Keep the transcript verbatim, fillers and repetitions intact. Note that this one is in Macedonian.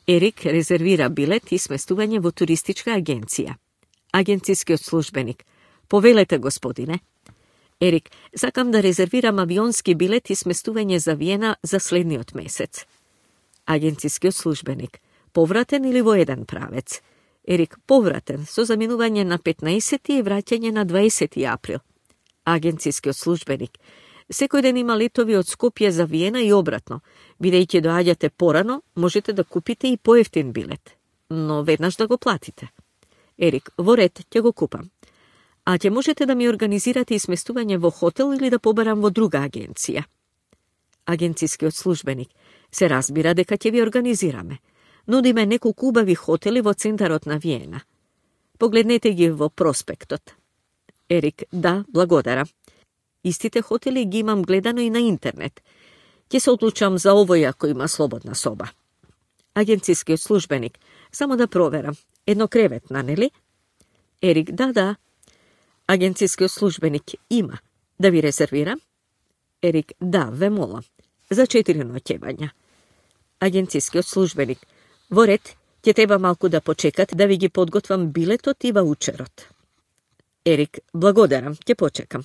Ерик резервира билет и сместување во туристичка агенција. Агенцијскиот службеник: повелете, господине. Ерик: сакам да резервирам авионски билет и сместување за Виена за следниот месец. Агенцијскиот службеник: повратен или во еден правец? Ерик: повратен, со заминување на петнаесети и враќање на дваесети април. Агенцијскиот службеник: секој ден има летови од Скопје за Виена и обратно. Бидејќи доаѓате порано, можете да купите и поевтин билет, но веднаш да го платите. Ерик: во ред, ќе го купам. А ќе можете да ми организирате и сместување во хотел или да побарам во друга агенција? Агенцијскиот службеник: се разбира дека ќе ви организираме. Нудиме неколку убави хотели во центарот на Виена. Погледнете ги во проспектот. Ерик: да, благодарам. Истите хотели ги имам гледано и на интернет. Ќе се одлучам за овој ако има слободна соба. Агенцијскиот службеник: само да проверам. Еднокреветна, нели? Ерик: да, да. Агенцијскиот службеник: има. Да ви резервирам? Ерик: да, ве молам. За четири ноќевања. Агенцијскиот службеник: во ред, ќе треба малку да почекате да ви ги подготвам билетот и ваучерот. Ерик: благодарам, ќе почекам.